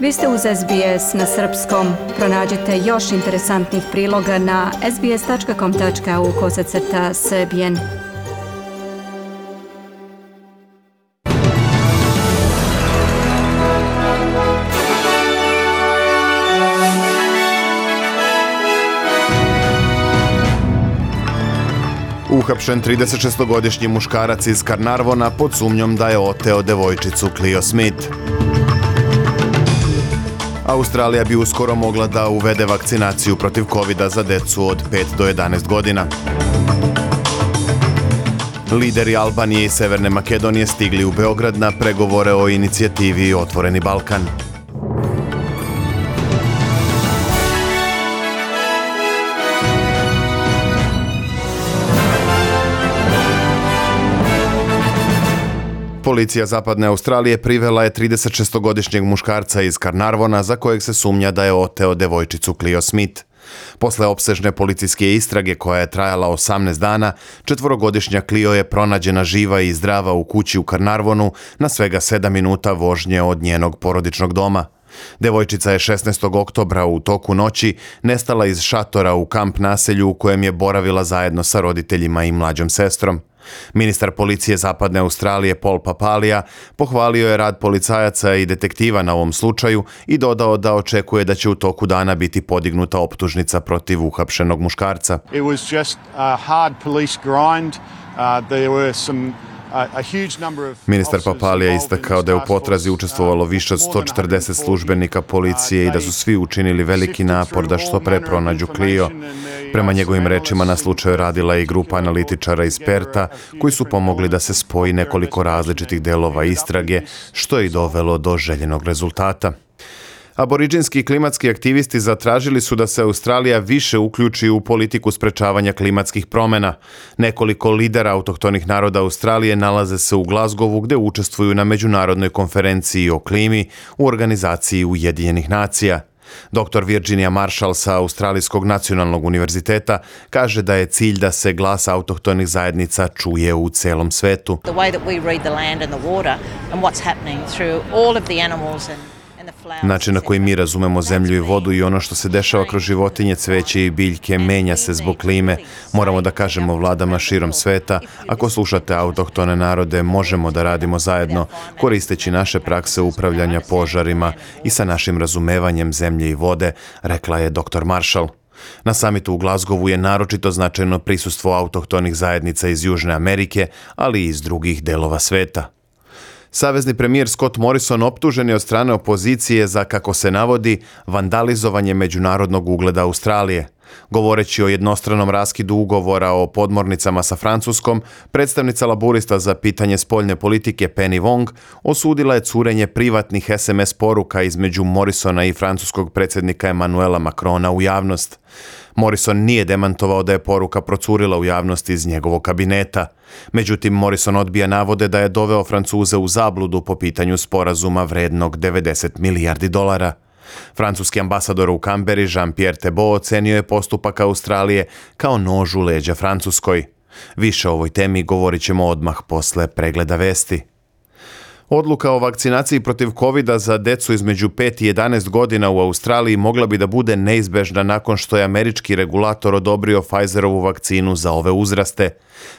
Vi ste uz SBS na srpskom. Pronađite još interesantnih priloga na sbs.com.au/srbijen. Uhapšen 36-godišnji muškarac iz Carnarvona pod sumnjom da je oteo devojčicu Clio Smith. Australija bi uskoro mogla da uvede vakcinaciju protiv covida za decu od 5 do 11 godina. Lideri Albanije i Severne Makedonije stigli u Beograd na pregovore o inicijativi Otvoreni Balkan. Policija Zapadne Australije privela je 36-godišnjeg muškarca iz Carnarvona za kojeg se sumnja da je oteo devojčicu Clio Smith. Posle opsežne policijske istrage koja je trajala 18 dana, 4-godišnja Clio je pronađena živa i zdrava u kući u Carnarvonu na svega 7 minuta vožnje od njenog porodičnog doma. Devojčica je 16. oktobra u toku noći nestala iz šatora u kamp naselju u kojem je boravila zajedno sa roditeljima i mlađom sestrom. Ministar policije Zapadne Australije Paul Papalija pohvalio je rad policajaca i detektiva na ovom slučaju i dodao da očekuje da će u toku dana biti podignuta optužnica protiv uhapšenog muškarca. It was just a hard police grind. There were some Ministar Papalija istakao da je u potrazi učestvovalo više od 140 službenika policije i da su svi učinili veliki napor da što pre pronađu Clio. Prema njegovim rečima na slučaju radila i grupa analitičara iz Perta koji su pomogli da se spoji nekoliko različitih delova istrage, što je i dovelo do željenog rezultata. Aboriđinski klimatski aktivisti zatražili su da se Australija više uključi u politiku sprečavanja klimatskih promjena. Nekoliko lidera autohtonih naroda Australije nalaze se u Glasgowu gdje učestvuju na međunarodnoj konferenciji o klimi u organizaciji Ujedinjenih nacija. Dr. Virginia Marshall sa Australijskog nacionalnog univerziteta kaže da je cilj da se glas autohtonih zajednica čuje u celom svetu. Način na koji mi razumemo zemlju i vodu i ono što se dešava kroz životinje, cveće i biljke menja se zbog klime. Moramo da kažemo vladama širom sveta, ako slušate autohtone narode, možemo da radimo zajedno, koristeći naše prakse upravljanja požarima i sa našim razumevanjem zemlje i vode, rekla je dr. Marshall. Na samitu u Glasgowu je naročito značajno prisustvo autohtonih zajednica iz Južne Amerike, ali i iz drugih delova sveta. Savezni premijer Scott Morrison optužen je od strane opozicije za, kako se navodi, vandalizovanje međunarodnog ugleda Australije. Govoreći o jednostranom raskidu ugovora o podmornicama sa Francuskom, predstavnica laburista za pitanje spoljne politike Penny Wong osudila je curenje privatnih SMS poruka između Morrisona i francuskog predsjednika Emmanuela Macrona u javnost. Morrison nije demantovao da je poruka procurila u javnost iz njegovog kabineta. Međutim, Morrison odbija navode da je doveo Francuze u zabludu po pitanju sporazuma vrednog 90 milijardi dolara. Francuski ambasador u Kamberi Jean-Pierre Thébault ocenio je postupak Australije kao nož u leđa Francuskoj. Više o ovoj temi govorit ćemo odmah posle pregleda vesti. Odluka o vakcinaciji protiv covida za decu između 5 i 11 godina u Australiji mogla bi da bude neizbežna nakon što je američki regulator odobrio Pfizerovu vakcinu za ove uzraste.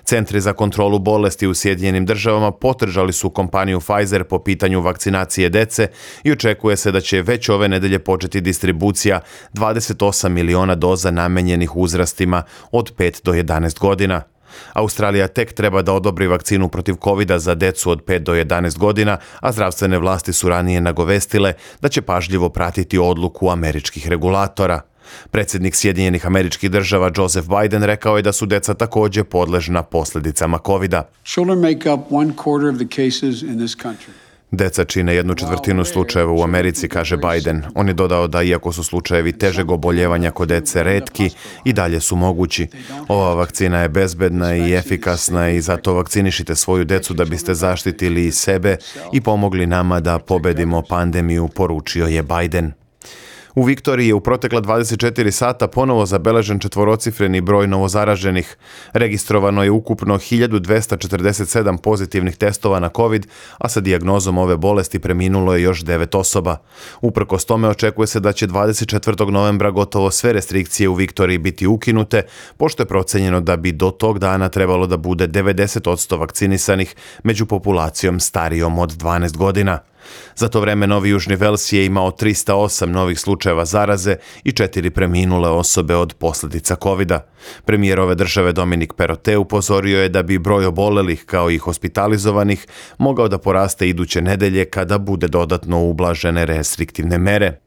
Centri za kontrolu bolesti u Sjedinjenim Državama podržali su kompaniju Pfizer po pitanju vakcinacije dece i očekuje se da će već ove nedelje početi distribucija 28 miliona doza namenjenih uzrastima od 5 do 11 godina. Australija tek treba da odobri vakcinu protiv covida za decu od 5 do 11 godina, a zdravstvene vlasti su ranije nagovestile da će pažljivo pratiti odluku američkih regulatora. Predsjednik Sjedinjenih Američkih Država Joseph Biden rekao je da su deca također podležna posljedicama covida. Children make up 1/4 of the cases in this country. Deca čine 1/4 slučajeva u Americi, kaže Biden. On je dodao da iako su slučajevi težeg oboljevanja kod dece retki, i dalje su mogući. Ova vakcina je bezbedna i efikasna i zato vakcinišite svoju decu da biste zaštitili i sebe i pomogli nama da pobedimo pandemiju, poručio je Biden. U Viktoriji je u protekla 24 sata ponovo zabeležen četvorocifreni broj novozaraženih. Registrovano je ukupno 1247 pozitivnih testova na COVID, a sa dijagnozom ove bolesti preminulo je još 9 osoba. Uprkos tome očekuje se da će 24. novembra gotovo sve restrikcije u Viktoriji biti ukinute, pošto je procenjeno da bi do tog dana trebalo da bude 90% vakcinisanih među populacijom starijom od 12 godina. Za to vreme Novi Južni Vels je imao 308 novih slučajeva zaraze i 4 preminule osobe od posljedica COVID-a. Premijer ove države Dominik Perottet upozorio je da bi broj obolelih kao i hospitalizovanih mogao da poraste iduće nedelje kada bude dodatno ublažene restriktivne mere.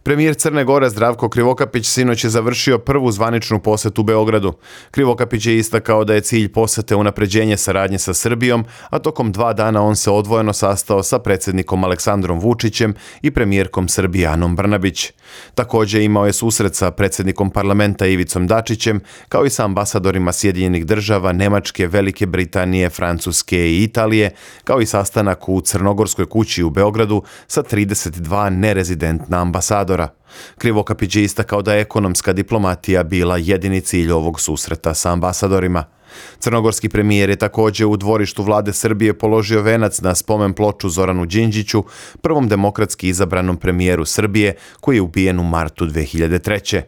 Premijer Crne Gore Zdravko Krivokapić sinoć je završio prvu zvaničnu posetu Beogradu. Krivokapić je istakao da je cilj posete unapređenje saradnje sa Srbijom, a tokom 2 dana on se odvojeno sastao sa predsjednikom Aleksandrom Vučićem i premijerkom Srbije Anom Brnabić. Također imao je susret sa predsjednikom parlamenta Ivicom Dačićem, kao i sa ambasadorima Sjedinjenih država, Nemačke, Velike Britanije, Francuske i Italije, kao i sastanak u Crnogorskoj kući u Beogradu sa 32 nerezidentna ambasadora. Krivokapić je istakao da je ekonomska diplomatija bila jedini cilj ovog susreta sa ambasadorima. Crnogorski premijer je također u dvorištu vlade Srbije položio venac na spomen ploču Zoranu Đinđiću, prvom demokratski izabranom premijeru Srbije koji je ubijen u martu 2003.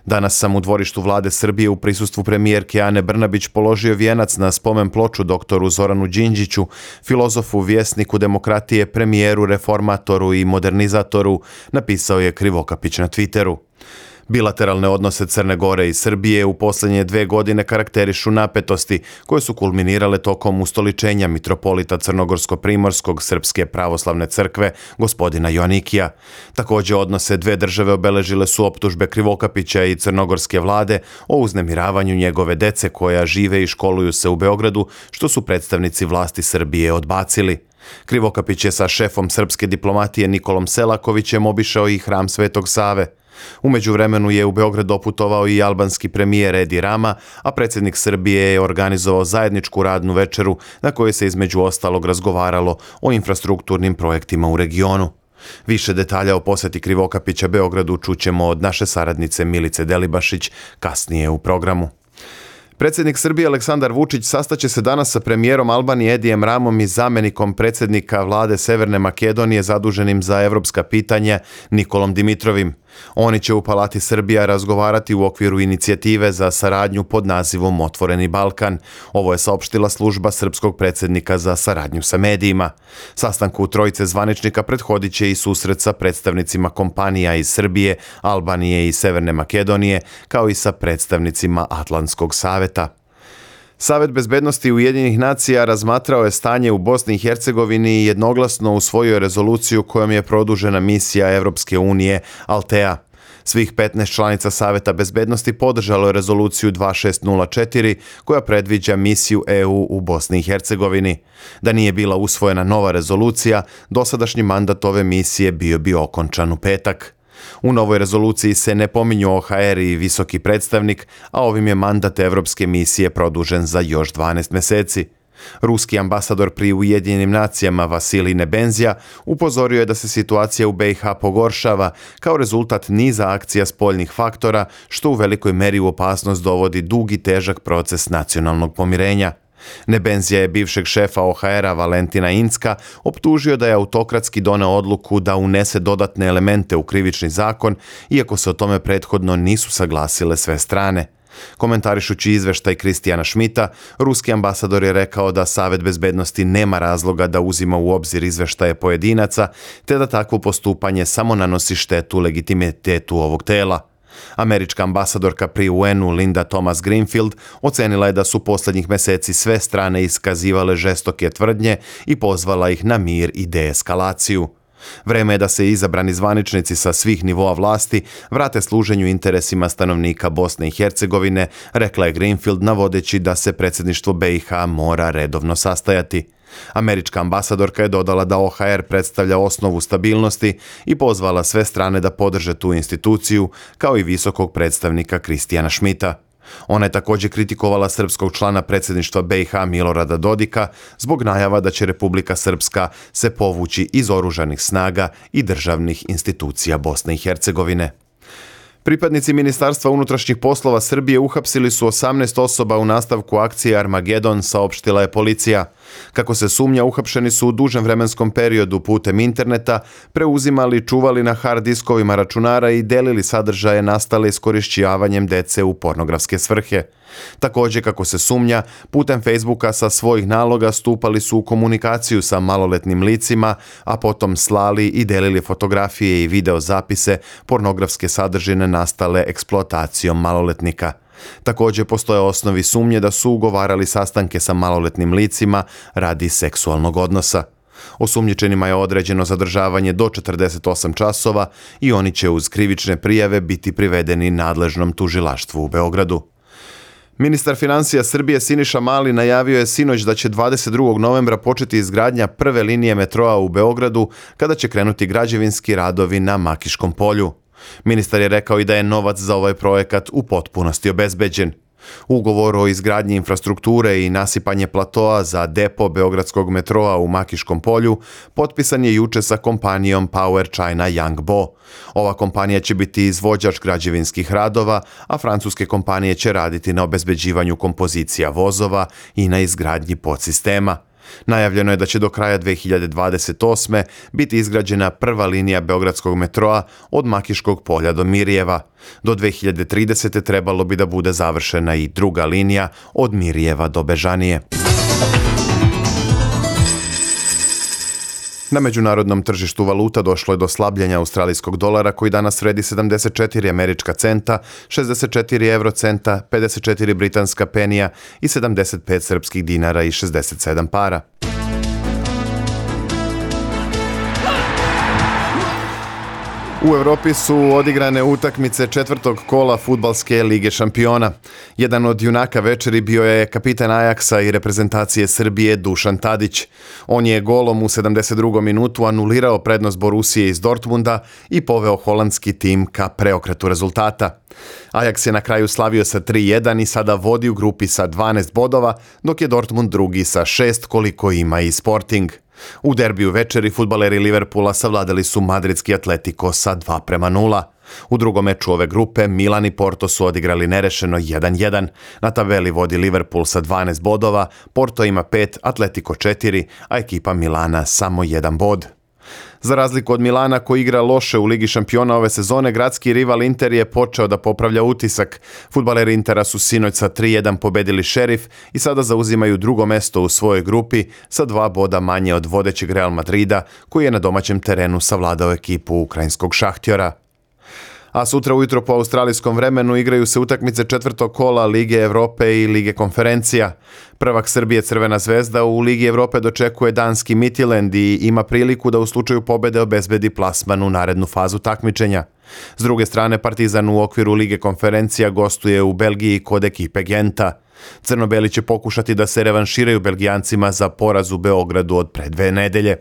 Danas sam u dvorištu vlade Srbije u prisustvu premijerke Ane Brnabić položio vijenac na spomen ploču doktoru Zoranu Đinđiću, filozofu, vjesniku demokratije, premijeru, reformatoru i modernizatoru, napisao je Krivokapić na Twitteru. Bilateralne odnose Crne Gore i Srbije u posljednje 2 godine karakterišu napetosti koje su kulminirale tokom ustoličenja mitropolita Crnogorsko-Primorskog Srpske pravoslavne crkve gospodina Joanikija. Također odnose 2 države obeležile su optužbe Krivokapića i crnogorske vlade o uznemiravanju njegove dece koja žive i školuju se u Beogradu, što su predstavnici vlasti Srbije odbacili. Krivokapić je sa šefom srpske diplomatije Nikolom Selakovićem obišao i hram Svetog Save. U međuvremenu je u Beograd doputovao i albanski premijer Edi Rama, a predsjednik Srbije je organizovao zajedničku radnu večeru na kojoj se između ostalog razgovaralo o infrastrukturnim projektima u regionu. Više detalja o posjeti Krivokapića Beogradu čućemo od naše saradnice Milice Delibašić kasnije u programu. Predsjednik Srbije Aleksandar Vučić sastaće se danas sa premijerom Albanije Edijem Ramom i zamjenikom predsjednika vlade Severne Makedonije zaduženim za evropska pitanja Nikolom Dimitrovim. Oni će u Palati Srbija razgovarati u okviru inicijative za saradnju pod nazivom Otvoreni Balkan. Ovo je saopštila služba srpskog predsjednika za saradnju sa medijima. Sastanku trojice zvaničnika prethodit će i susret sa predstavnicima kompanija iz Srbije, Albanije i Severne Makedonije, kao i sa predstavnicima Atlantskog saveta. Savet bezbednosti Ujedinjenih nacija razmatrao je stanje u Bosni i Hercegovini i jednoglasno usvojio rezoluciju kojom je produžena misija Evropske unije Altea. Svih 15 članica Saveta bezbednosti podržalo je rezoluciju 2604 koja predviđa misiju EU u Bosni i Hercegovini. Da nije bila usvojena nova rezolucija, dosadašnji mandat ove misije bio bi okončan u petak. U novoj rezoluciji se ne pominju OHR i visoki predstavnik, a ovim je mandat Evropske misije produžen za još 12 mjeseci. Ruski ambasador pri Ujedinjenim nacijama Vasilij Nebenzija upozorio je da se situacija u BiH pogoršava kao rezultat niza akcija spoljnih faktora, što u velikoj meri u opasnost dovodi dug i težak proces nacionalnog pomirenja. Nebenzija je bivšeg šefa OHR-a Valentina Incka optužio da je autokratski doneo odluku da unese dodatne elemente u krivični zakon, iako se o tome prethodno nisu saglasile sve strane. Komentarišući izveštaj Kristijana Šmita, ruski ambasador je rekao da Savet bezbednosti nema razloga da uzima u obzir izveštaje pojedinaca, te da takvo postupanje samo nanosi štetu legitimitetu ovog tela. Američka ambasadorka pri UN-u Linda Thomas Greenfield ocenila je da su posljednjih mjeseci sve strane iskazivale žestoke tvrdnje i pozvala ih na mir i deeskalaciju. Vreme je da se izabrani zvaničnici sa svih nivoa vlasti vrate služenju interesima stanovnika Bosne i Hercegovine, rekla je Greenfield navodeći da se predsjedništvo BiH mora redovno sastajati. Američka ambasadorka je dodala da OHR predstavlja osnovu stabilnosti i pozvala sve strane da podrže tu instituciju, kao i visokog predstavnika Kristijana Šmita. Ona je također kritikovala srpskog člana predsjedništva BiH Milorada Dodika zbog najava da će Republika Srpska se povući iz oružanih snaga i državnih institucija Bosne i Hercegovine. Pripadnici Ministarstva unutrašnjih poslova Srbije uhapsili su 18 osoba u nastavku akcije Armagedon, saopštila je policija. Kako se sumnja, uhapšeni su u dužem vremenskom periodu putem interneta preuzimali, čuvali na hard diskovima računara i delili sadržaje nastale iskorišćavanjem dece u pornografske svrhe. Također, kako se sumnja, putem Facebooka sa svojih naloga stupali su u komunikaciju sa maloletnim licima, a potom slali i delili fotografije i video zapise pornografske sadržine nastale eksploatacijom maloletnika. Također postoje osnovi sumnje da su ugovarali sastanke sa maloletnim licima radi seksualnog odnosa. Osumnjičenima je određeno zadržavanje do 48 časova i oni će uz krivične prijave biti privedeni nadležnom tužilaštvu u Beogradu. Ministar financija Srbije Siniša Mali najavio je sinoć da će 22. novembra početi izgradnja prve linije metroa u Beogradu kada će krenuti građevinski radovi na Makiškom polju. Ministar je rekao i da je novac za ovaj projekat u potpunosti obezbeđen. Ugovor o izgradnji infrastrukture i nasipanje platoa za depo beogradskog metroa u Makiškom polju potpisan je juče sa kompanijom Power China Yangbo. Ova kompanija će biti izvođač građevinskih radova, a francuske kompanije će raditi na obezbeđivanju kompozicija vozova i na izgradnji podsistema. Najavljeno je da će do kraja 2028. biti izgrađena prva linija beogradskog metroa od Makiškog polja do Mirjeva. Do 2030. trebalo bi da bude završena i druga linija od Mirjeva do Bežanije. Na međunarodnom tržištu valuta došlo je do slabljenja australijskog dolara koji danas vredi 74 američka centa, 64 eurocenta, 54 britanska penija i 75 srpskih dinara i 67 para. U Europi su odigrane utakmice četvrtog kola fudbalske lige šampiona. Jedan od junaka večeri bio je kapitan Ajaksa i reprezentacije Srbije Dušan Tadić. On je golom u 72. minutu anulirao prednost Borusije iz Dortmunda i poveo holandski tim ka preokretu rezultata. Ajax je na kraju slavio sa 3-1 i sada vodi u grupi sa 12 bodova, dok je Dortmund drugi sa 6 koliko ima i Sporting. U derbiju večeri fudbaleri Liverpoola savladali su madridski Atletico sa 2:0. U drugom meču ove grupe Milan i Porto su odigrali nerešeno 1:1. Na tabeli vodi Liverpool sa 12 bodova, Porto ima 5, Atletico 4, a ekipa Milana samo 1 bod. Za razliku od Milana koji igra loše u Ligi šampiona ove sezone, gradski rival Inter je počeo da popravlja utisak. Fudbaleri Intera su sinoć sa 3:1 pobedili Šerif i sada zauzimaju drugo mesto u svojoj grupi sa 2 boda manje od vodećeg Real Madrida koji je na domaćem terenu savladao ekipu ukrajinskog Šahtjora. A sutra ujutro po australijskom vremenu igraju se utakmice četvrtog kola Lige Evrope i Lige konferencija. Prvak Srbije Crvena zvezda u Ligi Evrope dočekuje danski Midtjylland i ima priliku da u slučaju pobede obezbedi plasman u narednu fazu takmičenja. S druge strane, Partizan u okviru Lige konferencija gostuje u Belgiji kod ekipe Genta. Crnobeli će pokušati da se revanširaju Belgijancima za poraz u Beogradu od pre 2 nedelje.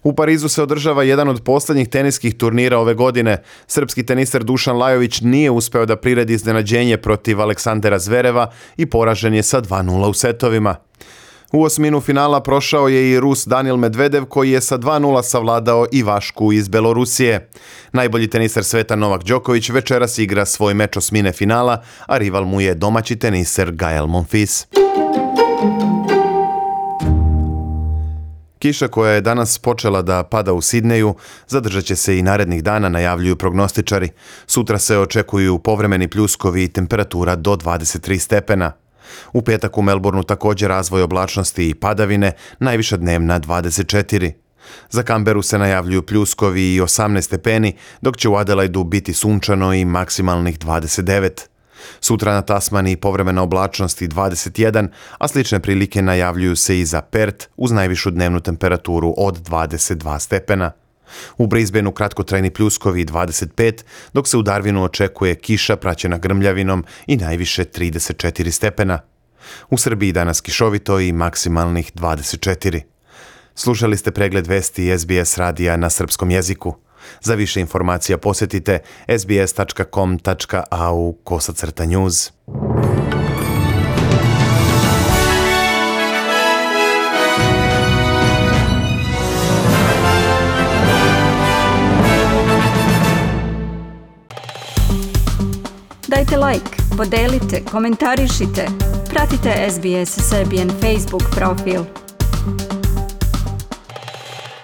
U Parizu se održava jedan od posljednjih teniskih turnira ove godine. Srpski teniser Dušan Lajović nije uspeo da priredi iznenađenje protiv Aleksandera Zvereva i poražen je sa 2:0 u setovima. U osminu finala prošao je i Rus Danil Medvedev koji je sa 2:0 savladao Ivašku iz Belorusije. Najbolji teniser sveta Novak Đoković večeras igra svoj meč osmine finala, a rival mu je domaći teniser Gael Monfils. Kiša koja je danas počela da pada u Sidneju zadržat će se i narednih dana, najavljuju prognostičari. Sutra se očekuju povremeni pljuskovi i temperatura do 23 stepena. U petak u Melbourneu također razvoj oblačnosti i padavine, najviša dnevna 24. Za Kamberu se najavljuju pljuskovi i 18 stepeni, dok će u Adelaidu biti sunčano i maksimalnih 29. Sutra na Tasmaniji povremena oblačnost i 21, a slične prilike najavljuju se i za Perth uz najvišu dnevnu temperaturu od 22 stepena. U Brisbaneu kratkotrajni pljuskovi i 25, dok se u Darwinu očekuje kiša praćena grmljavinom i najviše 34 stepena. U Srbiji danas kišovito i maksimalnih 24. Slušali ste pregled vesti SBS radija na srpskom jeziku. Za više informacija posjetite sbs.com.au/news. Dajte like, podelite, komentarišite. Pratite SBS Serbian Facebook profil.